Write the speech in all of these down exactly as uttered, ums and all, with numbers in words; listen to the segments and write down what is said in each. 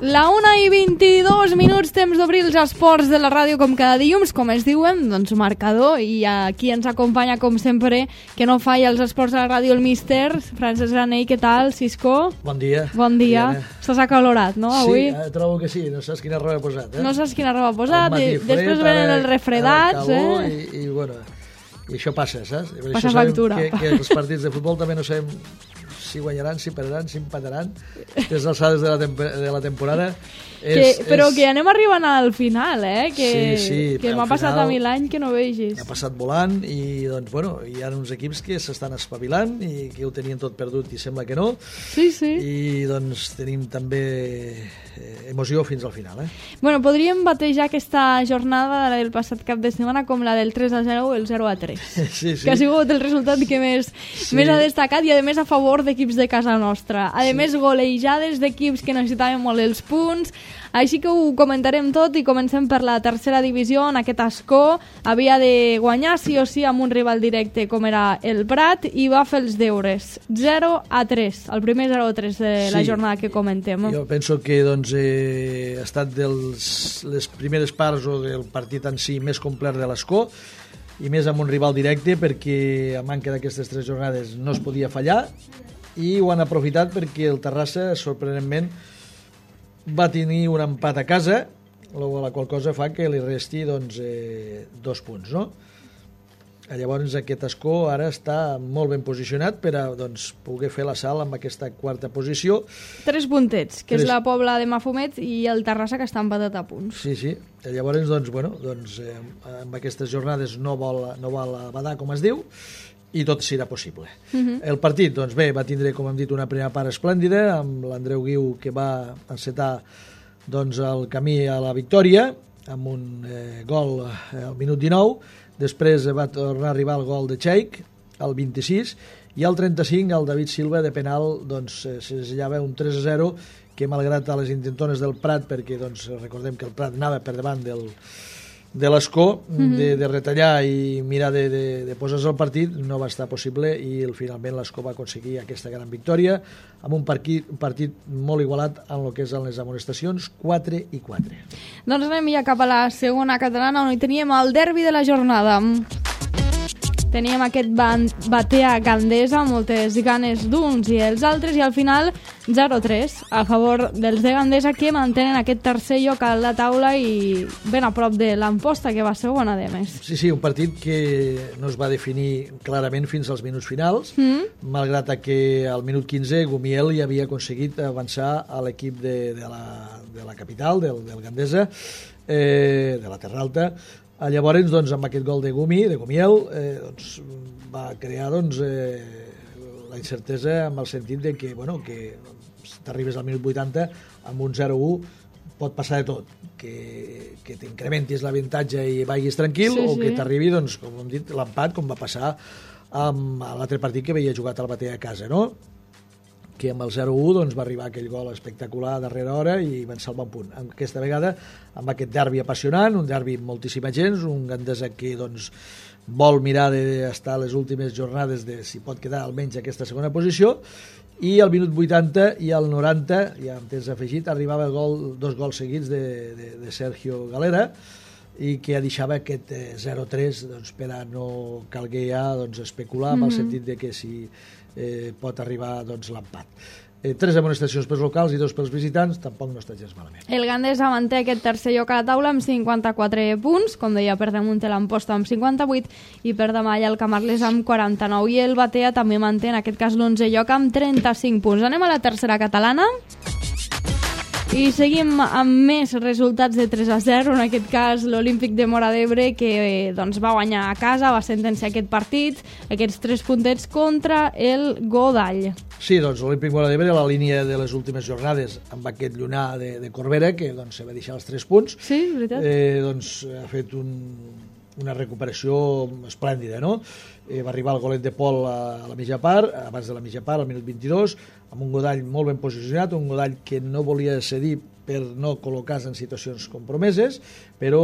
La una i vint-i-dos minuts, temps d'obrir els esports de la ràdio com cada dilluns, com es diuen, doncs marcador, i aquí ens acompanya com sempre, que no falla els esports de la ràdio, el míster Francesc Granell. Què tal, Cisco? Bon dia. Bon dia. Estàs acalorat, no, avui? Sí, trobo que sí, no saps quina roba he posat, eh? No saps quina roba he posat, i fred, després venen els refredats, calor, eh? I, i bueno, i això passa, saps? I per passa això factura. Que, que els partits de futbol també no sabem si guanyaran, si perdran, si empataran des dels alçades de la, temp de la temporada. Que, és, però és... que anem arribant al final, eh? Que, sí, sí, que m'ha passat a mi l'any que no vegis. Ha passat volant i doncs, bueno, hi ha uns equips que s'estan espavilant i que ho tenien tot perdut i sembla que no. Sí, sí. I doncs tenim també eh, emoció fins al final, eh? Bueno, podríem batejar aquesta jornada del passat cap de setmana com la del tres a zero o el zero a tres. Sí, sí. Que ha sigut el resultat que més, sí. més ha destacat i a més a favor d'equips de casa nostra. A més, sí. golejades d'equips que necessitaven molt els punts. Així que ho comentarem tot i comencem per la tercera divisió. En aquest escó havia de guanyar sí o sí amb un rival directe com era el Prat i va fer els deures. zero a tres, el primer zero a tres de sí. la jornada que comentem. Jo penso que doncs, eh, ha estat dels, les primeres parts o del partit en si més complet de l'escó i més amb un rival directe perquè a manca d'aquestes tres jornades no es podia fallar i ho han aprofitat perquè el Terrassa sorprenentment va tenir un empat a casa, la qual cosa fa que li resti doncs, eh, dos punts, no? Llavors aquest escó ara està molt ben posicionat per a doncs, poder fer la sal amb aquesta quarta posició. Tres puntets, que Tres... és la Pobla de Mafumet i el Terrassa, que està empatat a punts. Sí, sí. Llavors, doncs, bueno, doncs, eh, amb aquestes jornades no vol, no vol badar, com es diu, i tot serà possible. Uh -huh. El partit, doncs bé, va tindre, com hem dit, una primera part esplèndida, amb l'Andreu Guiu, que va encetar doncs, el camí a la victòria, amb un eh, gol al minut dinou, després va tornar a arribar el gol de Cheik, al vint-i-sis, i al trenta-cinc el David Silva de penal doncs, eh, segellava un tres a zero, que malgrat a les intentones del Prat, perquè doncs, recordem que el Prat anava per davant del de l'escó, mm-hmm. de, de retallar i mirar de, de, de posar-se al partit, no va estar possible i el, finalment l'escó va aconseguir aquesta gran victòria amb un partit, un partit molt igualat en el que és en les amonestacions, quatre i quatre. Doncs anem ja cap a la segona catalana on hi teníem el derbi de la jornada. Teníem aquest Batea Gandesa, moltes ganes d'uns i els altres, i al final zero a tres a favor dels de Gandesa, que mantenen aquest tercer lloc a la taula i ben a prop de l'Amposta, que va segona, de més. Sí, sí, un partit que no es va definir clarament fins als minuts finals, mm. malgrat que al minut quinze Gumiel ja havia aconseguit avançar a l'equip de, de, la, de la capital, del, del Gandesa, eh, de la Terra Alta. Llavors, doncs, amb aquest gol de Gumi, de Gumiel, eh, doncs, va crear doncs, eh, la incertesa amb el sentit de que, bueno, que t'arribes al minut vuitanta amb un zero a u pot passar de tot, que, que t'incrementis l'avantatge i vagis tranquil, sí, o sí. que t'arribi, doncs, com hem dit, l'empat, com va passar amb l'altre partit que havia jugat al Batea a casa, no? Que amb el zero a u doncs, va arribar aquell gol espectacular a darrera hora i van salvar un punt. Aquesta vegada, amb aquest derbi apassionant, un derbi amb moltíssima gent, un Gandesa que doncs, vol mirar d'estar a les últimes jornades de si pot quedar almenys aquesta segona posició, i al minut vuitanta i al noranta, ja amb temps afegit, arribava el gol, dos gols seguits de, de, de Sergio Galera, i que deixava aquest eh, zero a tres doncs, per a no calguer ja doncs, especular, mm-hmm. amb el sentit de que si eh, pot arribar doncs, l'empat. Eh, tres amonestacions pels locals i dos pels visitants, tampoc no està gens malament. El Gandesa manté aquest tercer lloc a la taula amb cinquanta-quatre punts, com deia, per damunt de l'Amposta amb cinquanta-vuit i per demà hi ha el Camarles amb quaranta-nou, i el Batea també manté en aquest cas l'onzè lloc amb trenta-cinc punts. Anem a la tercera catalana i seguim amb més resultats de tres a zero, en aquest cas l'Olímpic de Móra d'Ebre, que eh, doncs, va guanyar a casa, va sentenciar aquest partit, aquests tres puntets contra el Godall. Sí, doncs l'Olímpic Móra d'Ebre a la línia de les últimes jornades amb aquest llunar de, de Corbera, que doncs, se va deixar els tres punts. Sí, veritat. Eh, doncs ha fet un, una recuperació esplèndida, no? Eh, va arribar el golet de Pol a, a la mitja part, abans de la mitja part, al minut vint-i-dos, amb un Godall molt ben posicionat, un Godall que no volia cedir per no col·locar-se en situacions compromeses, però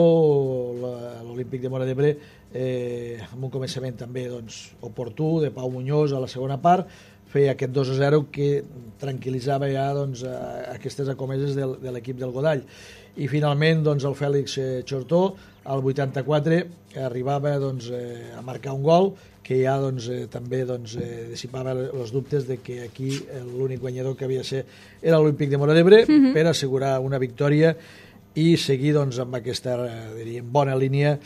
l'Olímpic de Móra d'Ebre, eh, amb un començament també doncs, oportú, de Pau Muñoz a la segona part, feia aquest dos a zero que tranquil·litzava ja doncs, aquestes acomeses de, de l'equip del Godall. I finalment doncs, el Fèlix eh, Chortó al vuitanta-quatre arribava doncs, eh, a marcar un gol que ja doncs, eh, també doncs, eh, dissipava els dubtes de que aquí l'únic guanyador que havia de ser era l'Olímpic de Móra d'Ebre mm-hmm. per assegurar una victòria i seguir doncs, amb aquesta eh, diríem, bona línia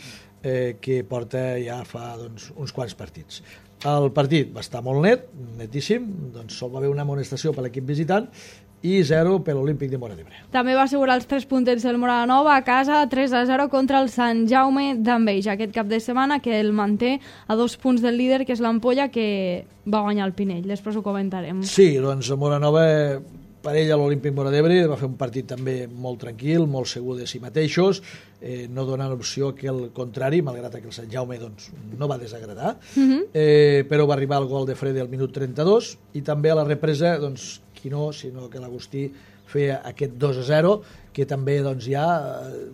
eh, que porta ja fa doncs, uns quants partits. El partit va estar molt net, netíssim, doncs sol va haver una amonestació per l'equip visitant i zero per l'Olímpic de Móra d'Ebre. També va assegurar els tres puntets del Móra Nova a casa, tres a zero contra el Sant Jaume d'Enveig aquest cap de setmana, que el manté a dos punts del líder, que és l'Ampolla, que va guanyar el Pinell. Després ho comentarem. Sí, doncs el Móra Nova, per ell a l'Olímpic Móra d'Ebre, va fer un partit també molt tranquil, molt segur de si mateixos, eh, no donant opció que el contrari, malgrat que el Sant Jaume doncs, no va desagradar, uh-huh. eh, però va arribar el gol de Frede al minut trenta-dos i també a la represa, doncs, qui no, sinó que l'Agustí feia aquest dos a zero, que també doncs, ja eh,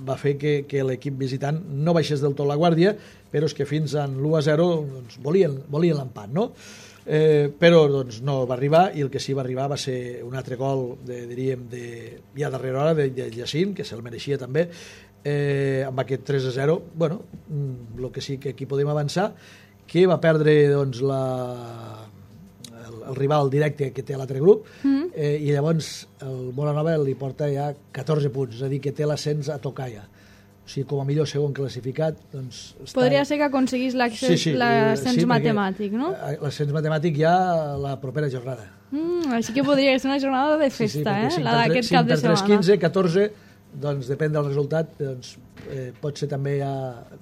va fer que, que l'equip visitant no baixés del tot la guàrdia, però és que fins en l'u a zero doncs, volien, volien l'empat, no? Eh, però doncs, no va arribar i el que sí va arribar va ser un altre gol de, diríem, de, ja darrere hora de, de Llacín, que se'l mereixia també, eh, amb aquest tres a zero. Bueno, el que sí que aquí podem avançar, que va perdre doncs, la, el, el rival directe que té l'altre grup mm. eh, i llavors el Móra Nova li porta ja catorze punts, és a dir, que té l'ascens a tocar ja. O sigui, com a millor segon classificat, doncs... Està... Podria ser que aconseguís l'ascens sí, sí, sí, matemàtic, no? L'ascens matemàtic ja la propera jornada. Mm, així que podria ser una jornada de festa, sí, sí, eh? La d'aquest cap de setmana. cinc per tres, quinze, catorze, doncs depèn del resultat, doncs eh, pot ser també ja...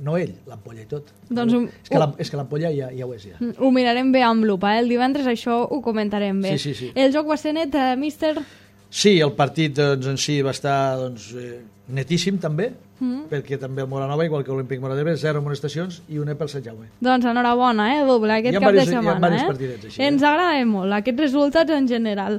No ell, l'Ampolla i tot. Doncs un... És que l'Ampolla ja, ja ho és, ja. Ho mirarem bé amb lupa, eh? El divendres això ho comentarem bé. Sí, sí, sí. El joc va ser net, eh, míster... Sí, el partit doncs, en si va estar doncs, eh, netíssim també, mm. perquè també el Móra Nova, igual que l'Olímpic Móra d'Ebre, zero amonestacions i una pel Sant Jaume. Doncs enhorabona, eh, doble, aquest cap varis, de setmana. Hi ha eh? partidets així. Ens eh? agrada molt, aquests resultats en general.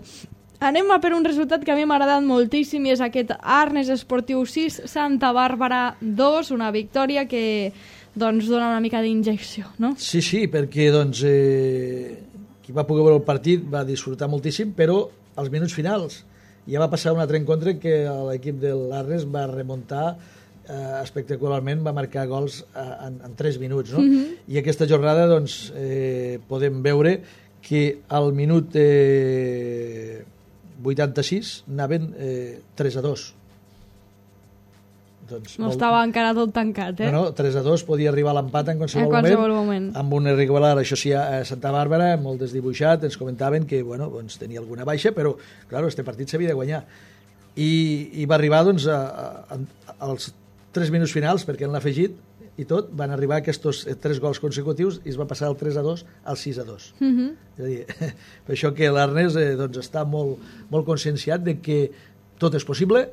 Anem a per un resultat que a mi m'ha agradat moltíssim i és aquest Arnes Esportiu sis, Santa Bàrbara dos, una victòria que doncs, dona una mica d'injecció, no? Sí, sí, perquè doncs, eh, qui va poder veure el partit va disfrutar moltíssim, però als minuts finals ja va passar un altre encontre que l'equip de l'Arnes va remuntar eh, espectacularment, va marcar gols eh, en, en tres minuts, no? Mm-hmm. I aquesta jornada doncs, eh, podem veure que al minut eh, vuitanta-sis anaven eh, tres a dos. Doncs, no molt... estava encara tot tancat, eh? No, no, tres a dos podia arribar a l'empat en qualsevol, en qualsevol moment, moment. Amb un irregular, això sí, a Santa Bàrbara, molt desdibuixat, ens comentaven que, bueno, doncs, tenia alguna baixa, però, clar, este partit s'havia de guanyar. I, i va arribar, doncs, a, a, a, als tres minuts finals, perquè han afegit, i tot, van arribar aquests tres gols consecutius i es va passar del tres a dos al sis a dos. Mm-hmm. És a dir, per això que l'Arnes eh, doncs, està molt, molt conscienciat de que tot és possible.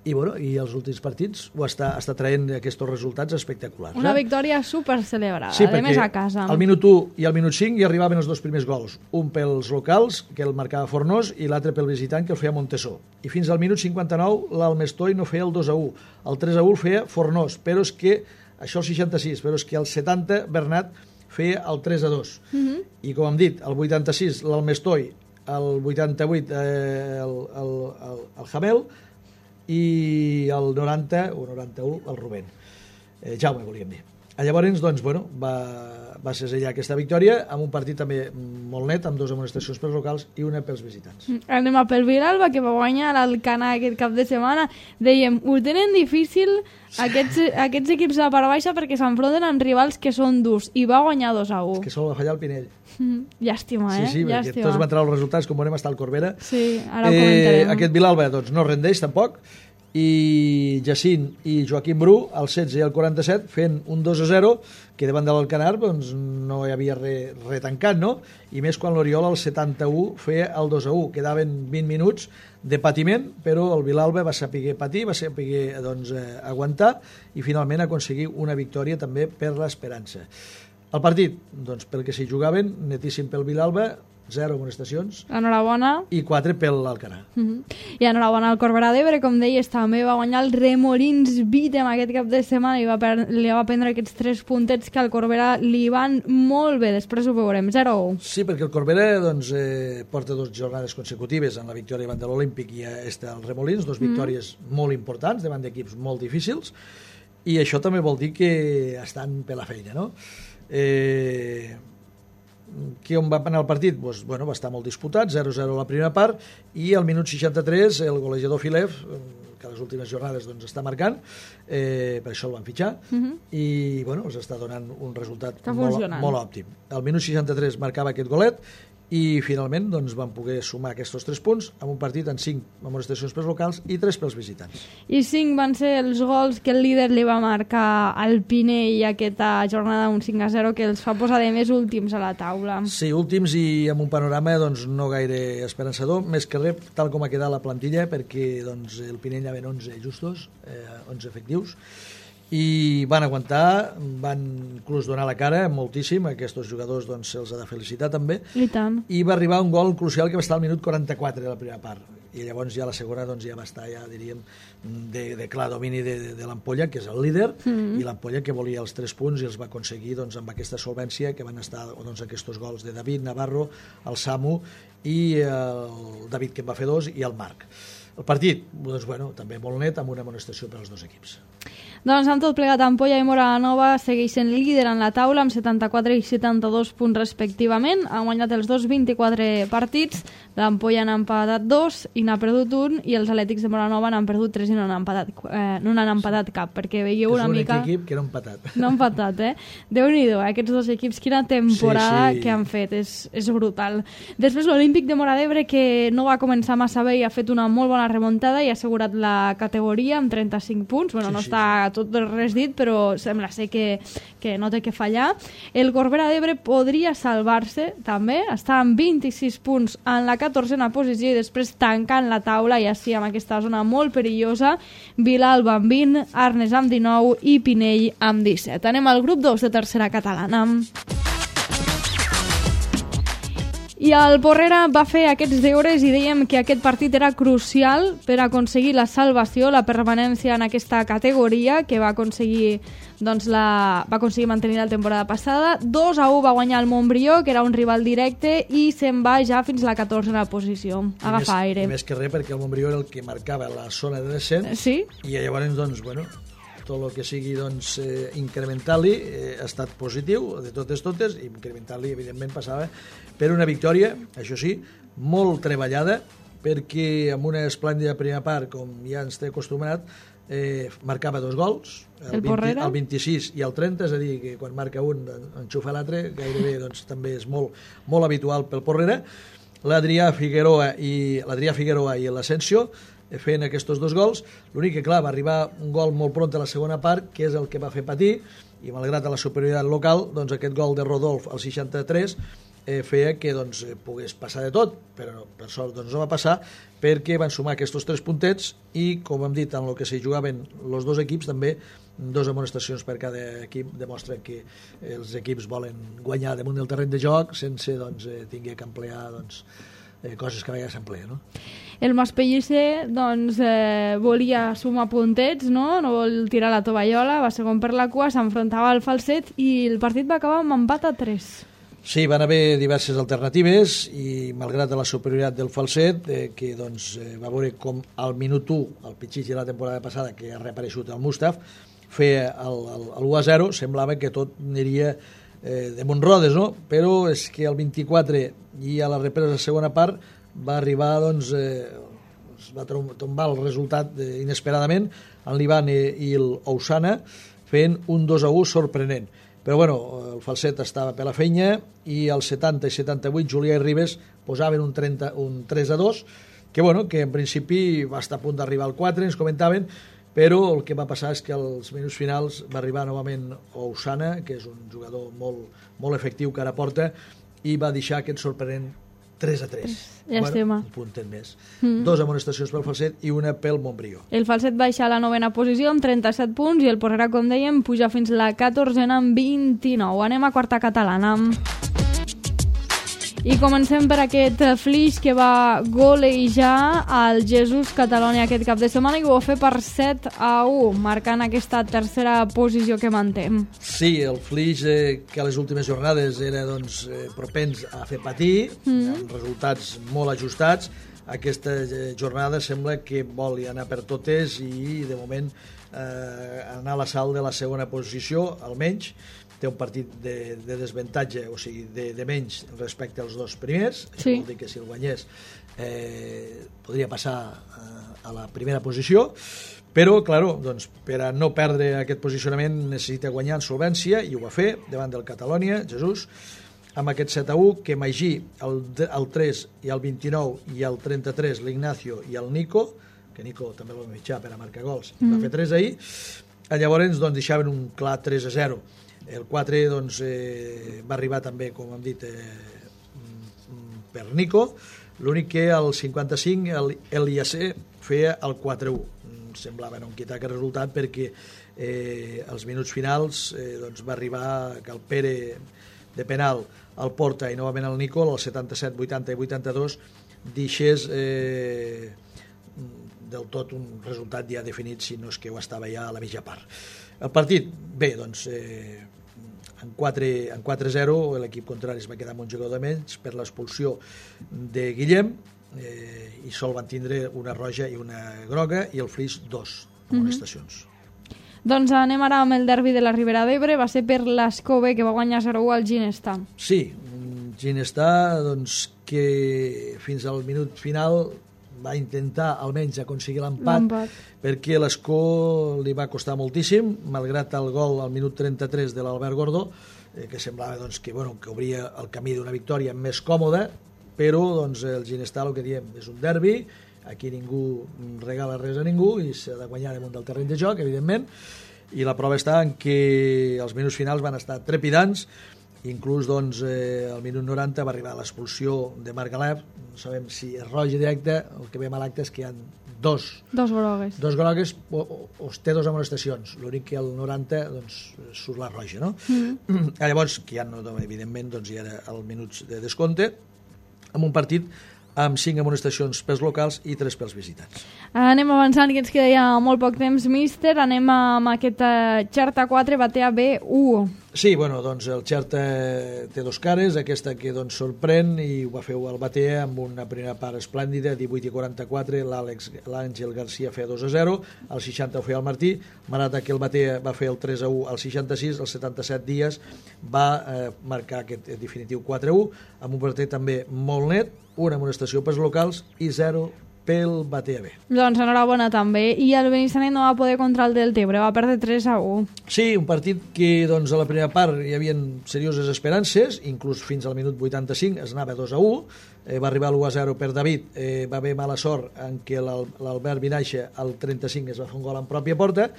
I, bueno, i els últims partits ho està, està traient aquests resultats espectaculars. Una eh? victòria super celebrada, sí, a més a casa. Al minut u i al minut cinc hi arribaven els dos primers gols, un pels locals, que el marcava Fornós, i l'altre pel visitant, que el feia Montesó. I fins al minut cinquanta-nou l'Almestoi no feia el dos a u, el tres a u el feia Fornós, però és que, això el seixanta-sis, però és que al setanta Bernat feia el tres a dos. Mm-hmm. I com hem dit, el vuitanta-sis l'Almestoi, el vuitanta-vuit eh, el, el, el, el Jamel, i el noranta o noranta-u el Rubén. Eh, Jaume, volíem dir. Llavors, doncs, bueno, va, va segellar aquesta victòria amb un partit també molt net, amb dues amonestacions pels locals i una pels visitants. Anem a pel Vilalba, que va guanyar l'Alcanar aquest cap de setmana. Dèiem, ho tenen difícil aquests, aquests equips de part baixa perquè s'enfronten amb rivals que són durs, i va guanyar dos a u. És que sol va fallar el Pinell. Mm, llàstima, eh? Sí, sí, perquè llàstima. Tots van treure els resultats, com veurem, està el Corbera. Sí, ara ho comentarem. Eh, aquest Vilalba doncs, no rendeix tampoc, i Jacint i Joaquim Bru al setze i al quaranta-set fent un dos a zero, que davant de l'Alcanar doncs, no hi havia res re tancat, no? I més quan l'Oriol al setanta-u feia el dos a u. Quedaven vint minuts de patiment, però el Vilalba va saber patir, va saber doncs, eh, aguantar i finalment aconseguir una victòria també per l'esperança. El partit, doncs, pel que s'hi jugaven, netíssim pel Vilalba, zero amonestacions. Enhorabona. I quatre pel Alcanar. Uh -huh. I enhorabona al Corberà d'Ebre, com deies, també va guanyar el Remolins Vitem aquest cap de setmana i va per, li va prendre aquests tres puntets que al Corberà li van molt bé. Després ho veurem, zero a u. Sí, perquè el Corberà doncs, eh, porta dues jornades consecutives en la victòria davant de l'Olímpic i està el Remolins, dues victòries mm. molt importants davant d'equips molt difícils, i això també vol dir que estan per la feina, no? Eh, que on va anar el partit? Pues, bueno, va estar molt disputat, zero a zero a la primera part, i al minut seixanta-tres el golejador Filev, que a les últimes jornades doncs, està marcant, eh, per això el van fitxar, uh -huh. i bueno, els està donant un resultat molt, molt òptim. Al minut seixanta-tres marcava aquest golet, i finalment doncs, van poder sumar aquests tres punts amb un partit en cinc amonestacions pels locals i tres pels visitants. I cinc van ser els gols que el líder li va marcar al Pinell aquesta jornada, un cinc a zero, que els fa posar de més últims a la taula. Sí, últims i amb un panorama doncs, no gaire esperançador, més que res tal com ha quedat la plantilla, perquè doncs, el Pinell hi havia onze justos, eh, onze efectius, i van aguantar, van inclús donar la cara moltíssim, aquests jugadors doncs, se'ls ha de felicitar també, i tant. I va arribar un gol crucial que va estar al minut quaranta-quatre de la primera part, i llavors ja la segona doncs, ja va estar, ja diríem, de, de clar domini de, de, de l'Ampolla, que és el líder, mm-hmm. i l'Ampolla que volia els tres punts i els va aconseguir doncs, amb aquesta solvència que van estar doncs, aquests gols de David Navarro, el Samu i el David, que en va fer dos, i el Marc. El partit, doncs, bueno, també molt net, amb una amonestació per als dos equips. Doncs amb tot plegat, Ampolla i Móra-la-Nova segueixen líder en la taula amb setanta-quatre i setanta-dos punts respectivament. Han guanyat els dos vint-i-quatre partits, l'Ampolla n'ha empatat dos i n'ha perdut un, i els Atlètics de Móra-la-Nova n'han perdut tres i no n'han empatat, eh, no n'han empatat cap, perquè veieu una mica... És l'únic equip que no ha empatat. No ha empatat, eh? Déu-n'hi-do, eh? Aquests dos equips, quina temporada sí, sí. que han fet, és, és brutal. Després l'Olímpic de Móra d'Ebre, que no va començar massa bé i ha fet una molt bona remuntada i ha assegurat la categoria amb trenta-cinc punts. Bueno, sí, no sí. està tot res dit, però sembla ser que, que no té que fallar. El Corbera d'Ebre podria salvar-se també, està amb vint-i-sis punts en la catorzena posició i després tancant la taula, i així amb aquesta zona molt perillosa, Vilalba amb vint, Arnes amb dinou i Pinell amb disset. Anem al grup dos de tercera catalana. I el Porrera va fer aquests deures i dèiem que aquest partit era crucial per aconseguir la salvació, la permanència en aquesta categoria, que va aconseguir, doncs, la, va aconseguir mantenir la temporada passada. dos a u va guanyar el Montbrió, que era un rival directe, i se'n va ja fins a la catorzena posició. Agafa aire. I més que res, perquè el Montbrió era el que marcava la zona de descens, sí? I llavors, doncs, bueno, tot el que sigui doncs, eh, incrementar-li eh, ha estat positiu, de totes totes, i incrementar-li, evidentment, passava per una victòria, això sí, molt treballada, perquè amb una esplèndida primera part, com ja ens té acostumat, eh, marcava dos gols, el, el, vint, el vint-i-sis i el trenta, és a dir, que quan marca un enxufa l'altre, gairebé doncs, també és molt, molt habitual pel Porrera. L'Adrià Figueroa i l'Adrià Figueroa i l'Asensio fent aquests dos gols. L'únic que, clar, va arribar un gol molt pront a la segona part, que és el que va fer patir, i malgrat la superioritat local, doncs aquest gol de Rodolf al seixanta-tres eh, feia que doncs, pogués passar de tot, però per sort doncs, no va passar, perquè van sumar aquests tres puntets i, com hem dit, en el que s'hi jugaven els dos equips, també dos amonestacions per cada equip demostren que els equips volen guanyar damunt del terreny de joc sense doncs, eh, tinguer que emplear doncs, eh, coses que a vegades s'empleen, no? El Maspellicer doncs, eh, volia sumar puntets, no? No vol tirar la tovallola, va segon per la cua, s'enfrontava al Falset i el partit va acabar amb empat a tres. Sí, van haver diverses alternatives i malgrat la superioritat del Falset, eh, que doncs, eh, va veure com al minut u, el pitxig de la temporada passada, que ha reapareixut el Mustaf, feia l'u a zero, semblava que tot aniria eh, de Montrodes, no? Però és que el vint-i-quatre i a la represa de la segona part va arribar, doncs, eh, es va tombar el resultat eh, inesperadament, en l'Ivan i, i l'Ousana fent un dos a u sorprenent. Però bueno, el Falset estava per la feina i al setanta i setanta-vuit Julià i Ribes posaven un, trenta, un tres a dos, que bueno, que en principi va estar a punt d'arribar al quatre, ens comentaven, però el que va passar és que als minuts finals va arribar novament Ousana, que és un jugador molt, molt efectiu que ara porta, i va deixar aquest sorprenent tres a tres. Llàstima. Bueno, un puntet més. Mm. Dos amonestacions pel Falset i una pel Montbrió. El Falset baixa a la novena posició amb trenta-set punts i el Porrera, com dèiem, puja fins la catorzena amb vint-i-nou. Anem a quarta catalana. I comencem per aquest Flix que va golejar el Jesús Catalònia aquest cap de setmana i ho va fer per set a u, marcant aquesta tercera posició que mantem. Sí, el Flix eh, que a les últimes jornades era doncs, eh, propens a fer patir, mm. amb resultats molt ajustats. Aquesta jornada sembla que vol anar per totes i de moment eh, anar a l'assalt de la segona posició, almenys té un partit de, de desventatge, o sigui, de, de menys respecte als dos primers. Sí. Això vol dir que si el guanyés eh, podria passar a, a la primera posició, però, claro, doncs, per a no perdre aquest posicionament necessita guanyar en solvència, i ho va fer davant del Catalònia, Jesús, amb aquest set a u, que Magí, el, el tres i el vint-i-nou i el trenta-tres, l'Ignacio i el Nico, que Nico també el va mitjar per a marcar gols, mm. va fer tres ahir, llavors doncs, deixaven un clar tres a zero. El quatre doncs, eh, va arribar també, com hem dit, eh, per Nico, l'únic que al cinquanta-cinc el, el I A C feia el quatre a u. Semblava no quitar aquest resultat perquè eh, als minuts finals eh, doncs, va arribar que el Pere de penal al Porta i novament el Nico, al setanta-set, vuitanta i vuitanta-dos, deixés eh, del tot un resultat ja definit, si no és que ho estava ja a la mitja part. El partit, bé, doncs, eh, en quatre a zero l'equip contrari es va quedar amb un jugador de menys per l'expulsió de Guillem, eh, i sol van tindre una roja i una groga, i el Flix dos amonestacions. Mm-hmm. Doncs anem ara amb el derbi de la Ribera d'Ebre. Va ser per l'Escove, que va guanyar zero a u al Ginestà. Sí, Ginestà, doncs, que fins al minut final va intentar almenys aconseguir l'empat, perquè l'Escó li va costar moltíssim, malgrat el gol al minut trenta-tres de l'Albert Gordó, eh, que semblava doncs, que, bueno, que obria el camí d'una victòria més còmoda, però doncs, el Ginestà, el que diem, és un derbi, aquí ningú regala res a ningú i s'ha de guanyar damunt del terreny de joc, evidentment, i la prova està en que els minuts finals van estar trepidants. Inclús doncs, eh, al minut noranta va arribar l'expulsió de Marc Galep. No sabem si és roja directa, el que veiem a l'acte és que hi ha dos, dos grogues, dos grogues o, o, o té dos amonestacions, l'únic que al noranta doncs, surt la roja, no? Mm. Llavors, que ja no, evidentment doncs, hi era el minuts de descompte, amb un partit amb cinc amonestacions pels locals i tres pels visitants. Anem avançant, que ens queda ja molt poc temps, míster. Anem amb aquest Xerta quatre, Batea B u. Sí, bueno, doncs el Xerta té dos cares, aquesta que doncs sorprèn, i ho va fer el Batea amb una primera part esplèndida, divuit i quaranta-quatre, l'Àngel Garcia feia dos a zero, al seixanta ho feia el Martí, malgrat que el Batea va fer el tres a u al seixanta-sis, al setanta-set Díaz va eh, marcar aquest definitiu quatre a u, amb un partit també molt net, una amonestació pels locals i zero pel Batea B. Doncs enhorabona també. I el Benissanet no va poder contra el Deltebre, va perdre tres a u. Sí, un partit que doncs, a la primera part hi havia serioses esperances, inclús fins al minut vuitanta-cinc es anava dos a u, eh, va arribar l'u a zero per David, eh, va haver mala sort en què l'Albert Vinaixa al trenta-cinc es va fer un gol en pròpia porta,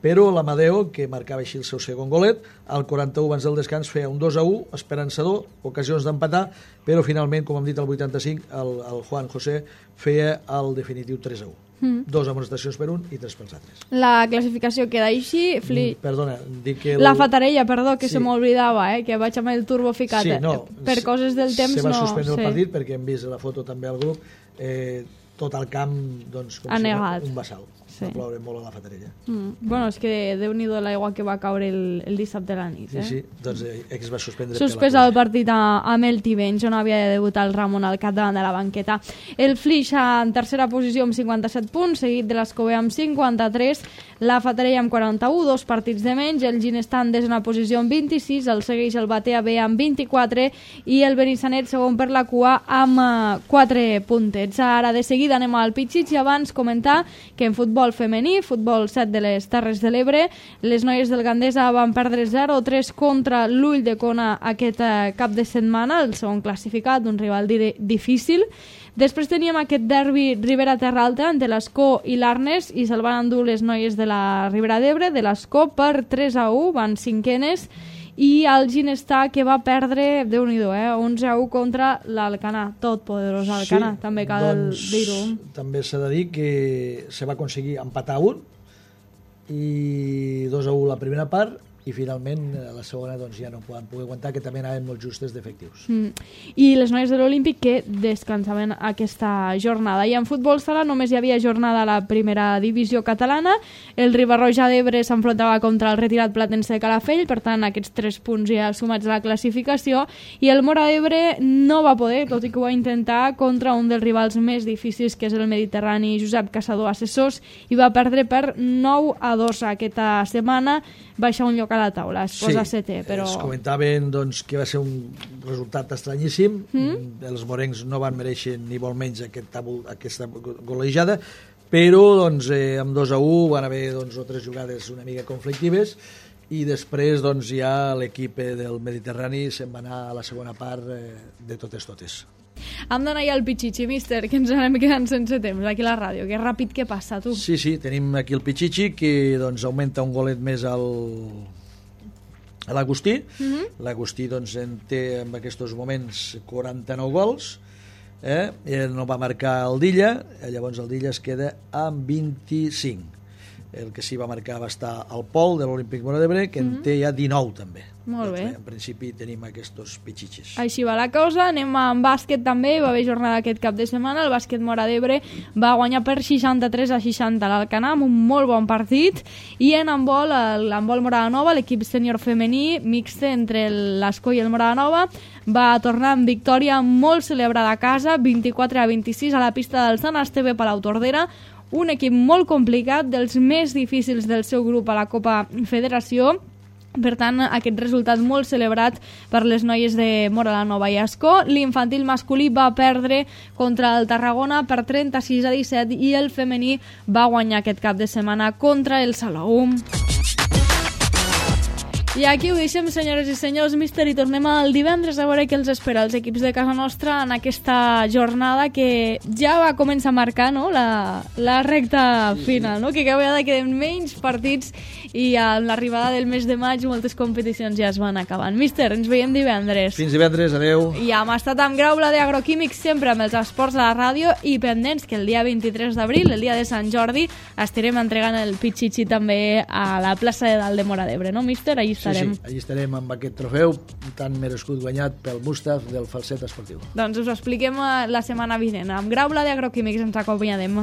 però l'Amadeo, que marcava així el seu segon golet, al quaranta-u abans del descans feia un dos a u, esperançador, ocasions d'empatar, però finalment, com hem dit, al vuitanta-cinc, el, el Juan José feia el definitiu tres a u. Mm. Dos amonestacions per un i tres pels altres. La classificació queda així. Fli... Mm, perdona, dic que... El... La Fatarella, perdó, que sí. Se m'oblidava, eh, que vaig amb el turbo ficat. Sí, no, per se, coses del temps no... Se va suspendre no, el partit perquè hem vist la foto també al grup, eh, tot el camp doncs, com ha si negat. Un bassal. Sí. Va ploure molt a la Fatarella. Mm. Bueno, és que déu-n'hi-do l'aigua que va caure el, el dissabte a la nit. Eh? Sí, sí, doncs eh, es va suspendre. Suspès el partit a, amb el Tivenys, on havia de debutar el Ramon al cap davant de la banqueta. El Flix en tercera posició amb cinquanta-set punts, seguit de l'Escové amb cinquanta-tres, la Fatarella amb quaranta-u, dos partits de menys, el Ginestà en desena posició amb vint-i-sis, el segueix el Batea B amb vint-i-quatre i el Benissanet segon per la cua amb uh, quatre puntets. Ara de seguida anem al Pitxits i abans comentar que en futbol femení, futbol set de les Terres de l'Ebre, les noies del Gandesa van perdre zero a tres contra l'Ull de Cona aquest uh, cap de setmana, el segon classificat, un rival difícil. Després teníem aquest derbi Ribera-Terra Alta entre l'Escó i l'Arnes i se'l van endur les noies de la Ribera d'Ebre, de l'Escó per tres a u, van cinquenes, i el Ginestà que va perdre, Déu-n'hi-do, eh, onze a u contra l'Alcanar, tot poderós Alcanar, sí, també cal doncs, dir-ho. També s'ha de dir que se va aconseguir empatar un i dos a u la primera part i finalment a la segona doncs, ja no poden poder aguantar, que també anaven molt justes d'efectius. Mm. I les noies de l'Olímpic que descansaven aquesta jornada. I en futbol sala només hi havia jornada a la primera divisió catalana. El Riba-roja d'Ebre s'enfrontava contra el retirat Platense de Calafell, per tant aquests tres punts ja sumats a la classificació, i el Móra d'Ebre no va poder, tot i que ho va intentar, contra un dels rivals més difícils, que és el Mediterrani Josep Caçador Assessors, i va perdre per nou a dos aquesta setmana, baixa un lloc a la taula, es posa sí, setè, però... es comentaven doncs, que va ser un resultat estranyíssim, mm? els morencs no van mereixer ni molt menys aquest tabul, aquesta golejada, però doncs, eh, amb dos a u van haver doncs, o tres jugades una mica conflictives, i després doncs, ja l'equip del Mediterrani se'n va anar a la segona part eh, de totes totes. Hem d'anar ja al Pichichi, míster, que ens anem quedant sense temps aquí a la ràdio. Que ràpid que passa, tu. Sí, sí, tenim aquí el Pichichi, que doncs, augmenta un golet més al... a l'Agustí. Mm-hmm. L'Agustí doncs, en té en aquests moments quaranta-nou gols, eh? Ell no va marcar el Dilla, llavors el Dilla es queda amb vint-i-cinc. El que sí va marcar va estar al Pol de l'Olímpic Móra d'Ebre, que mm-hmm. en té ja dinou també. Molt doncs, bé. En principi tenim aquests pitxitxes. Així va la cosa. Anem amb bàsquet també, va haver jornada aquest cap de setmana. El bàsquet Móra d'Ebre va guanyar per seixanta-tres a seixanta l'Alcanar, amb un molt bon partit. I en handbol, l'handbol Morada Nova, l'equip sènior femení mixte entre l'Escó i el Morada Nova, va tornar amb victòria molt celebrada a casa, vint-i-quatre a vint-i-sis a la pista del Sant Esteve Palau Tordera, un equip molt complicat, dels més difícils del seu grup a la Copa Federació. Per tant, aquest resultat molt celebrat per les noies de Móra Nova i Ascó. L'infantil masculí va perdre contra el Tarragona per trenta-sis a disset i el femení va guanyar aquest cap de setmana contra el Salou. I aquí ho deixem, senyores i senyors, míster, i tornem al divendres a veure què els espera els equips de casa nostra en aquesta jornada que ja va començar a marcar, no?, la, la recta final, no?, que cada vegada queden menys partits i amb l'arribada del mes de maig moltes competicions ja es van acabant. Míster, ens veiem divendres. Fins divendres, adeu. I hem estat amb Graula de Agroquímics, sempre amb els esports a la ràdio, i pendents que el dia vint-i-tres d'abril, el dia de Sant Jordi, estarem entregant el Pichichi també a la plaça de dalt de Móra d'Ebre, no, míster? Allí estarem. Sí, sí, allí estarem amb aquest trofeu tan merescut guanyat pel Mustaf del falset esportiu. Doncs us ho expliquem la setmana vinent. Amb Graula de Agroquímics ens acompanyarem.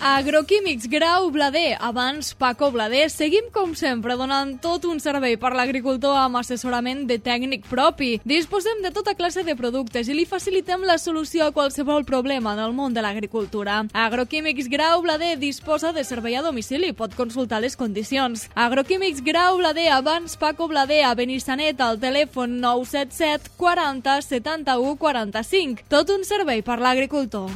Agroquímics Grau Blader, abans Paco Blader. Seguim, com sempre, donant tot un servei per l'agricultor amb assessorament de tècnic propi. Disposem de tota classe de productes i li facilitem la solució a qualsevol problema en el món de l'agricultura. Agroquímics Grau Blader disposa de servei a domicili. Pot consultar les condicions. Agroquímics Grau Blader, abans Paco Blader, a Benissanet, al telèfon nou set set quaranta setanta-u quaranta-cinc. Tot un servei per l'agricultor.